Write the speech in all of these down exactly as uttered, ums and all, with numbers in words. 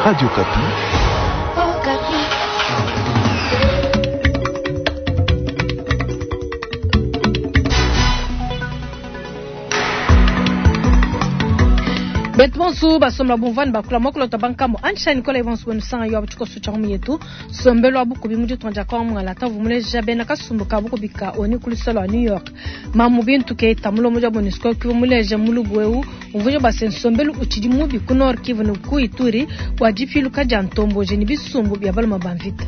Radio Okapi. Betu bonso basomla bumvani bakula mokolota bankambo antsha Nicola Evans wenu sanga yo abuchiko cha yetu sombelo abukubi mu ditonja kwa mungala ta vumuleja bena kasumbu ka bukubi ka oni kulisolo New York mamu bintu ke tamulo moja MONUSCO ki vumuleja mulubu eu umvuje base nsombelu uchidi mubi ku Nord Kivu ne ku Ituri wa dipiluka dia ntomboje ni bisumbu bya baluma bamvita.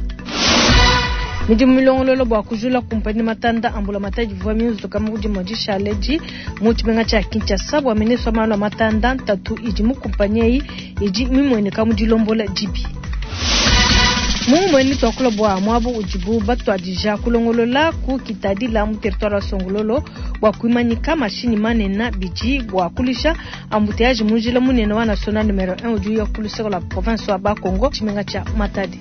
Midimu milongololo bwa kujula kumpani matanda ambula matadi vwa miuzo kama kudi modisha leji mu tshimenga tshia Kinshasa bwa ministre wa malu a matanda ntatu idi mu kumpanyi eyi idi mimueneka mu dilombola dibi. Mumweni twakula bwa mwabu udibu batwadija kulongolola ku kitadila mu territoire wa Songololo bwa kuimanyika mashini manena bidi bwa kulisha embouteillage mu njila munene wa national numero un udi uya ku la province wa Bakongo tshimenga tshia Matadi.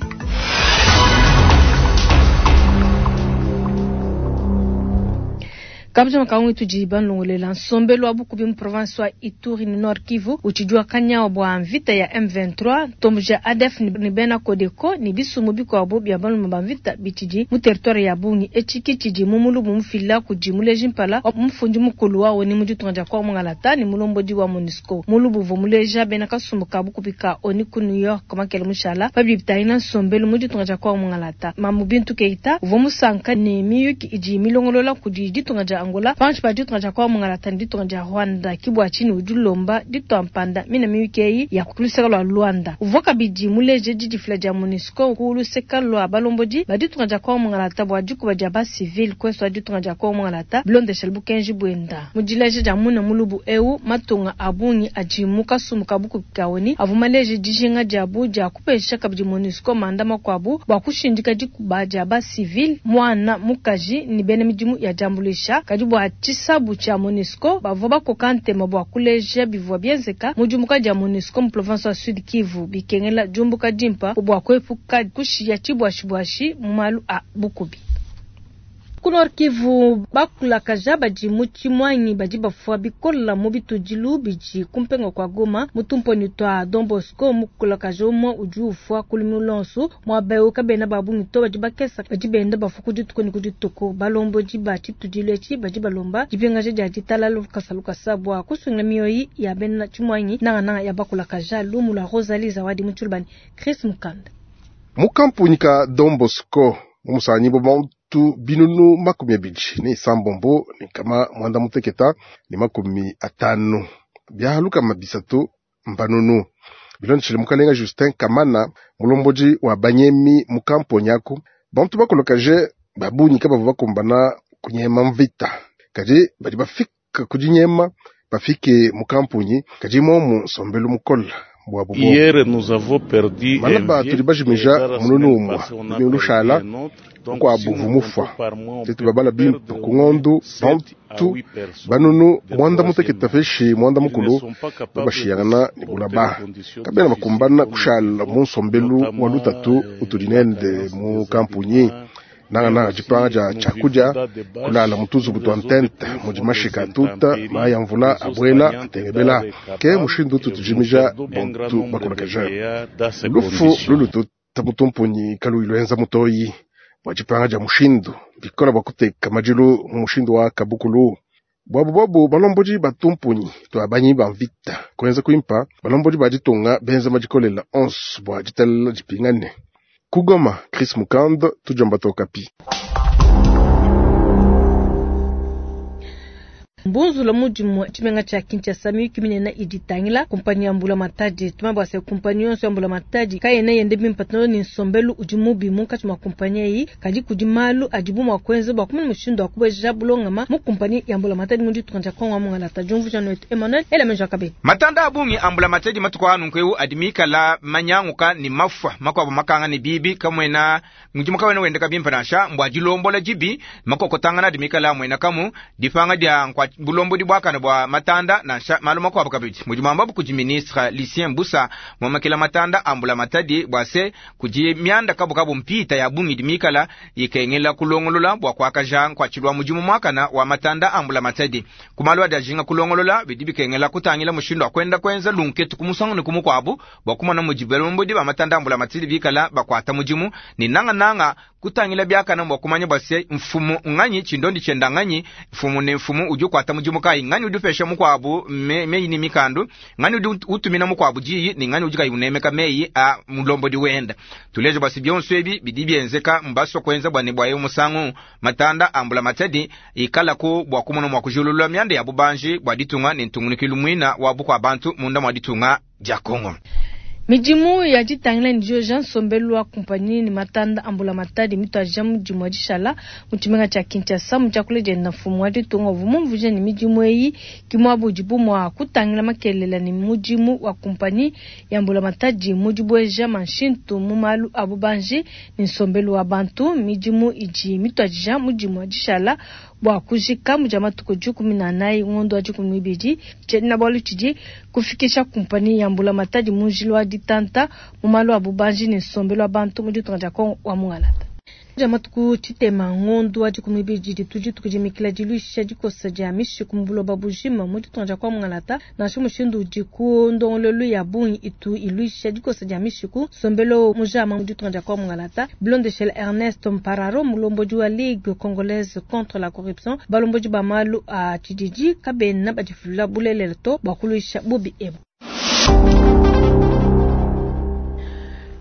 Kabja makangu tudi banlongolela nsombelu wa bukubi mu province wa Ituri ni Nord Kivu utshidi kanyawa bwa mvita ya M vingt-trois ntomboji ya A D F ni bena Codeco ni bisumu bikuabu bia balume ba mvita bitshidi mu territoire ya Bungi etshiki tshidi mu mulubu mufila kudi muleji mpala wa mufundi mukulu wa ONU mu ditunga dia Kongo Mungalata ni mulombodi wa MONUSCO mulubu uvua muleja bena kasumbu ka bukubi ka ONU ku New York makele mushala pabidi bitangila nsombelu mu ditunga dia Kongo Mungalata Mamu Bintu Keita uvua musanka ni miyuki idi milongolola kudi ditunga dia Angola panshi pa ditunga dia Kongo Mungalata ni ditunga dia Rwanda kibwa chini udi ulomba ditwa mpanda mina miyuki eyi ya kuluseka lwa Luanda uvua kabidi muleje didifila dia MONUSCO ku luseka lwa balombodi ba ditunga dia Kongo Mungalata bua dikuba dia ba civil kweso ditunga dia Kongo Mungalata bilondeshela bukenji bwenda mu dileje dia muna mulubu eu matunga abungi adi mu kasumbu ka bukubi ka ONU avua maleje dijinga diabu dia kupesha kabidi MONUSCO manda makuabu bua kushindika dikuba dia ba civil mwana mukaji ni bena midimu ya diambuluisha kadi bua tshisabu tshia MONUSCO bavua bakoka ntema bua kuleja bivua bienzeka mu diumbuka dia MONUSCO mu province wa Sud Kivu bikengela diumbuka dimpa bua kuepuka kushiya tshibuashibuashi mu malu a bukubi. Ku Nord Kivu bakulakaja badi mu tshimwanyi badi bafua bikola mu bitudilu bidi kumpenga kwa Goma mu tumponi twa Don Bosco mukulakaja umwe udi ufua ku lumingu lonso muaba eu kabena ba bungi to badi bakesa badi benda bafua ku dituku ne ku dituku balombodi ba tshitudilu etshi badi balomba dipingaja dia ditalala lukasa lukasa bua kusunga mioyi ya bena tshimwanyi nangananga ya bakulakaja lumu lua Rosalie Zawadi mu tshilubani Chris Mukanda. Mu kampunyi ka Don Bosco mu musanyi bo tu binunu makumi abidi ne isambombo ne kama mwanda muteketa ne makumi atanu byahaluka mabisatu mbanunu bilondeshele mukalenga Justin Kamana mulomboji wa banyemi mu kamponyi aku bantu bakolokaje babunyi kabavua bakumbana kunyema mvita kadi badi bafika kudinyema bafike mu kamponyi kadi momu nsombelu mukola. Hier, nous avons perdu Malaba tudi bajimija mununu umwa lumingu lushala kuabu vumufwa tetu babala bimpe ku ng'ondu bantu banunu mwanda muteketa feshi mwanda mukulu babashiyangana ni bulaba kabena bakumbana kushala mu nsombelu wa lutatu utudi nende mu kampunyi nangananga dipanga dia tshiakudia kulala mu tuzubu tua ntente mudi mashika atuta mayi a mvula abuela atengebela ke mushindu utu tujimija bantu bakolakaja lufu lulututa mutumpunyi kaluyi luenza mutoyi bua dipanga dia mushindu bikola bua kuteka madilu mu mushindu wa kabukulu bwabu bwabu balombodi batumpunyi tua banyi ba mvita kuenza kuimpa balombodi ba ditunga benza madikolela onso bua ditalela dipingane. Kugoma, Chris Mukand, Tujamba Tokapi. Mbunzula mudimu tshimenga tshia Kinshasa miyuki minene idi itangila kumpanyi ya mbula matadi tuma bua se kumpanyi yonso ya mbula matadi kayena yende bimpe to ni nsombelu udi mubi munkatshi mua kumpanyi eyi kadi kudi malu adibu mua kuenza bua kumanya mushindu wa kubeja bulongama mu kumpanyi ya mbula matadi mu ditunga dia Kongo Mungalata. Diumvuija noetu Emmanuel Elamenja Kabe. Matanda abungi ambula matadi matuku anu nkweu adi mikala manyanguka ni mafua makuabu makanga ni bibi kamwena mudimu kawena wendeka bimpe nansha mbua dilombola dibi makokotangana adi mikala amwena kamu dipanga dia nkwa bulombodi buakane bua matanda nansha malu makuabu kabidi. Mudi muambabu kudi ministre Lucien Mbusa muamakila matanda a mbulamatadi bua se kudi mianda kabukabu mpita ya bungi idi mikala ikengela kulongolola bua kuakaja nkuatshilu wa mudimu muakana wa matanda a mbulamatadi. Ku malu adi ajinga kulongolola bidi bikengela kutangila mushindu wa kwenda kwenza lunketu ku musangu ne ku mukuabu bua kumona mudi balombodi ba matanda a mbulamatadi bikala bakuata mudimu ne nangananga kutangila biakana bua kumanya bua se mfumu nganyi tshindondi tshienda nganyi mfumu ne mfumu udi ukuata mudimu kayi nganyi udi upesha mukuabu me, meyi ne mikandu nganyi udi utumina mukuabu diyi ne nganyi udi kayi unemeka meyi a mulombodi wenda. Tuleje bua se bionso ebi bidi bienzeka mbasua kuenza bua ne bua eu musangu matanda a mbulamatadi ikalaku bua kumona mua kujululula mianda ya bubanji bua ditunga ne ntungunukilu muina wa bukua bantu munda mua ditunga dia Kongo. Midimu ya ditangila ne nsombelu wa kumpanyi ne matanda a mbulamatadi mituadija mudimu wa dishala mu tshimenga tshia Kinshasa mu tshiakula dienda mfumu wa ditunga uvua mumvuije ne midimu eyi ke muaba udibu mua kutangila makelela ne mudimu wa kumpanyi ya mbulamatadi mu dibueja manshintu mu malu a bubanji ne nsombelu wa bantu. Midimu idi mituadija mudimu wa dishala bua kujika mu dia matuku dikumi na anayi ngondo wa dikumi n'ibidi. Tshiena-bualu tshidi kufikisha kumpanyi ya mbulamatadi mu njila wa ditanta mu malu a bubanji ne nsombelu wa bantu mu ditunga dia Kongo wa Mungalata. Dia matuku tshitema ngondo wa dikumi n'ibidi ditu dituku dimikila diluisha dikosa dia mishiku mu buloba bujima mu ditunga dia Kongo Mungalata. Nansha mushindu udi ku ndongololu ya bungi itu iluisha dikosa dia mishiku nsombelu mujama mu ditunga dia Kongo Mungalata. Bilondeshele Ernest Mpararo mulombodi wa Ligue congolaise contre la corruption balombodi ba malu a tshididi kabena badifulula bulelela to bua kuluisha bubi ebu.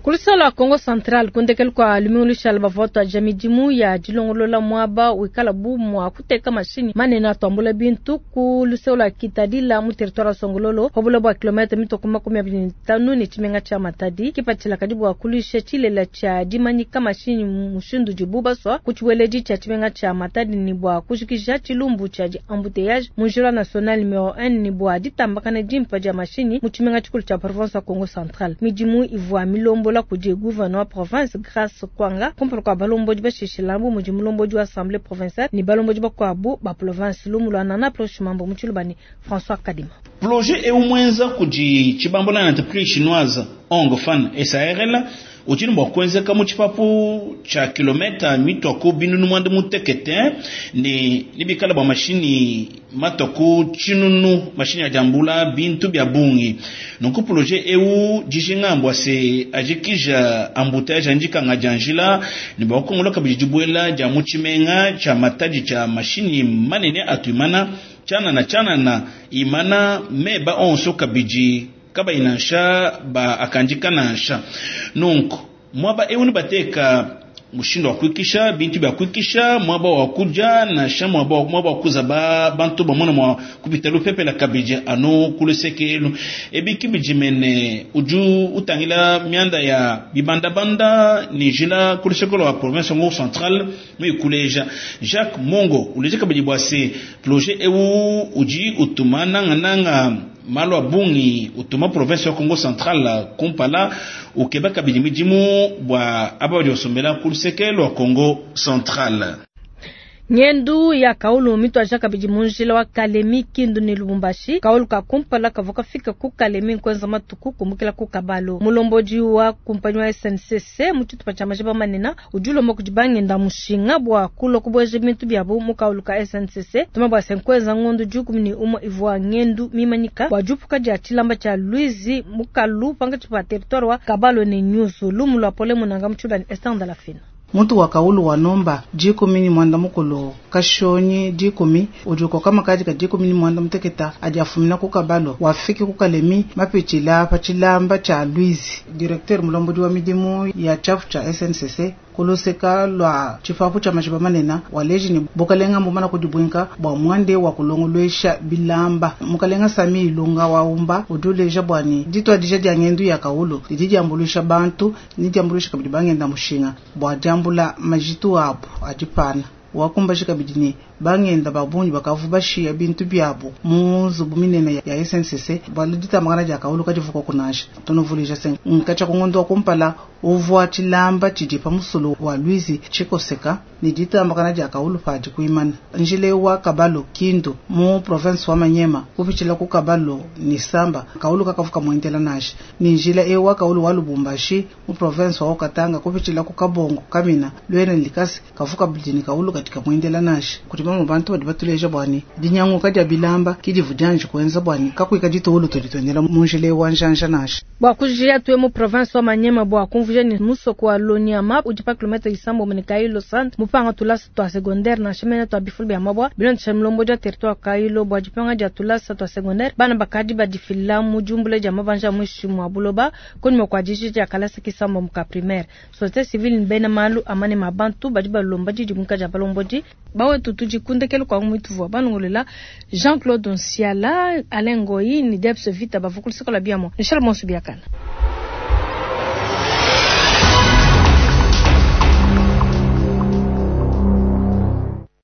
Kulusala Kongo Central kundekelu kwa lumingu lushala bavua ja midimu ya dilongolola muaba wikala bu mua kuteka mashinyi manene atuambula bintu ku luseo lua Kitadila mu territoire wa Songololo pa bula bua kilomètre mitoko makumi abidi ne tanu ne tshimenga tshia Matadi. Kipatshila kadi bua kuluisha tshilela tshia dimanyika mashinyi mushindu udibu basua ku tshibueledi tshia tshimenga tshia Matadi ne bua kujikija tshilumbu tshia di embouteillage mu njila national numero un ne bua ditambakana dimpa dia mashinyi mu tshimenga tshikulu tshia province wa Kongo Central. Midimu ivua milombo la kudi gouverneur wa province Grace Kwanga kumpala kua balombodi bashishila bu mudi mulombodi wa assemblée provinciale ne balombodi bakuabu ba province lumu lua nana prochimambo mu tshilubani François Kadima. Projet eu mwenza kudi tshibambo na entreprise chinoise Hong Fan S A R L udi ne bua kuenzeka mu tshipapu tshia kilometa mitua ku binunu muanda mutekete ne nibikala bua mashini matua ku tshinunu mashini ya diambula bintu bia bungi. Nunku projet eu dijinga mbua se ajikija embouteillage andikanga dia njila ne bua kukongola kabidi dibuela dia mu tshimenga tshia Matadi tshia mashini manene atu imana tshianana tshianana imana meba onso kabidi kabayi nansha ba akandika nansha. Nunku mwaba eu ne bateka mushindu wa kuikisha bintu bya kuikisha mwaba wa kuja nansha mwaba wa, mwaba wa kuza ba bantu bamona mwa kupita lupepela kabidi anu kulusekelu ebiki bijimene uju utangila mianda ya bibandabanda ni jila kulusekelo wa province Kongo Central mu ikuleja Jacques Mongo uleja kabidi bwa se projet eu uji utuma nanga nanga malo abungi utuma province ya Kongo Central kumpala ukeba kabidi midimu bwa aba badi basombela ku luseke lwa Kongo Central. Ngendu ya kaulu mitwaja kabidi mu njila wa Kalemi Kindu ne Lubumbashi. Kaulu ka kumpala kavua kafika ku Kalemi nkwenza matuku kumbukila ku Kabalo. Mulombodi wa kumpanyi wa S N C C mu tshitupa tshia majiba manene udi ulomba kudi bangenda mushinga bua kulua kubueja bintu biabu mu kaulu ka S N C C. Tuma bua se nkwenza ngondu dikumi ne umue ivua ngendu mimanyika bua diupuka dia tshilamba tshia Luizi mukalu pankatshi pa territoire wa Kabalo ne Nyuzu. Lumu lua pole munanga mu tshilubani Esther Ndalafina. Muntu wa kaulu wa nomba dikumi ni mwanda mukulu kashonyi dikumi udi ukoka makadi ka dikumi ni mwanda muteketa adi afumina ku Kabalo wafiki ku Kalemi mapitshila pa tshilamba tshia Luizi. Directeur mulombodi wa midimu ya tshiapu tshia S N C C kuluseka lwa tshipapu tshia majiba manene waleji ni bukalenga mbumana kudibwinka bua mwande wa kulongolwesha bilamba. Mukalenga Sami Ilunga wa umba udi uleja bwani ditwadija dia ngendu ya kaulu didi diambuluisha bantu ni diambuluisha kabidi bangenda mushinga bua diambula majitu abu adipana. Wakumbashi kabidi ni Bangenda ba bungi bakavu bashiya bintu biabu mu nzubu minene ya S N C C bualu ditambakana dia kawulu kadivuka kunasha. Tunuvuluija se nkatsha ku ngondo wa kumpala uvua tshilamba tshidi pa musulu wa Luizi tshikoseka ne ditambakana dia kawulu padi kuimana. Njile wa Kabalo Kindu mu province wa Manyema kupitshila ku Kabalo ni Samba kawulu kakavuka muendela nasha. Ni njila e wa kawulu wa Lubumbashi mu province wa Katanga kupitshila ku Kabongo Kamina Luena Likasi kavuka bidini kawulu katika muendela nasha. Kuti bamwe bantu badi batuleja bwani dinyanguka dia bilamba kidivu dianji kuenza bwani kakuika ditulu tulitwendela mu njile wa njanja nasha. Bwa kujia tuwe mu province wa Manyema bwa kumvuja ni musoko wa Lonyama udi pa kilometre isambo mene Kailo centre mupanga tulasa twa secondaire na shemene twa bifulu bya mabwa bilondesha milombo dia territoire Kailo bwa dipanga dia tulasa twa secondaire bana bakadi badifila mu jumbule dia mabanja mwishi mwa buloba kunyuma kwa jiji dia kalasa kisambo muka primaire société civile mbena malu amane mabantu badi balomba didi muka dia balombodi bawe tutu dikundekelo kwa mwituvwa banongolela Jean-Claude Nsiala Alain Ngoyi ni Debs Vita bavukulisikola biamo Michel Monsu biakana.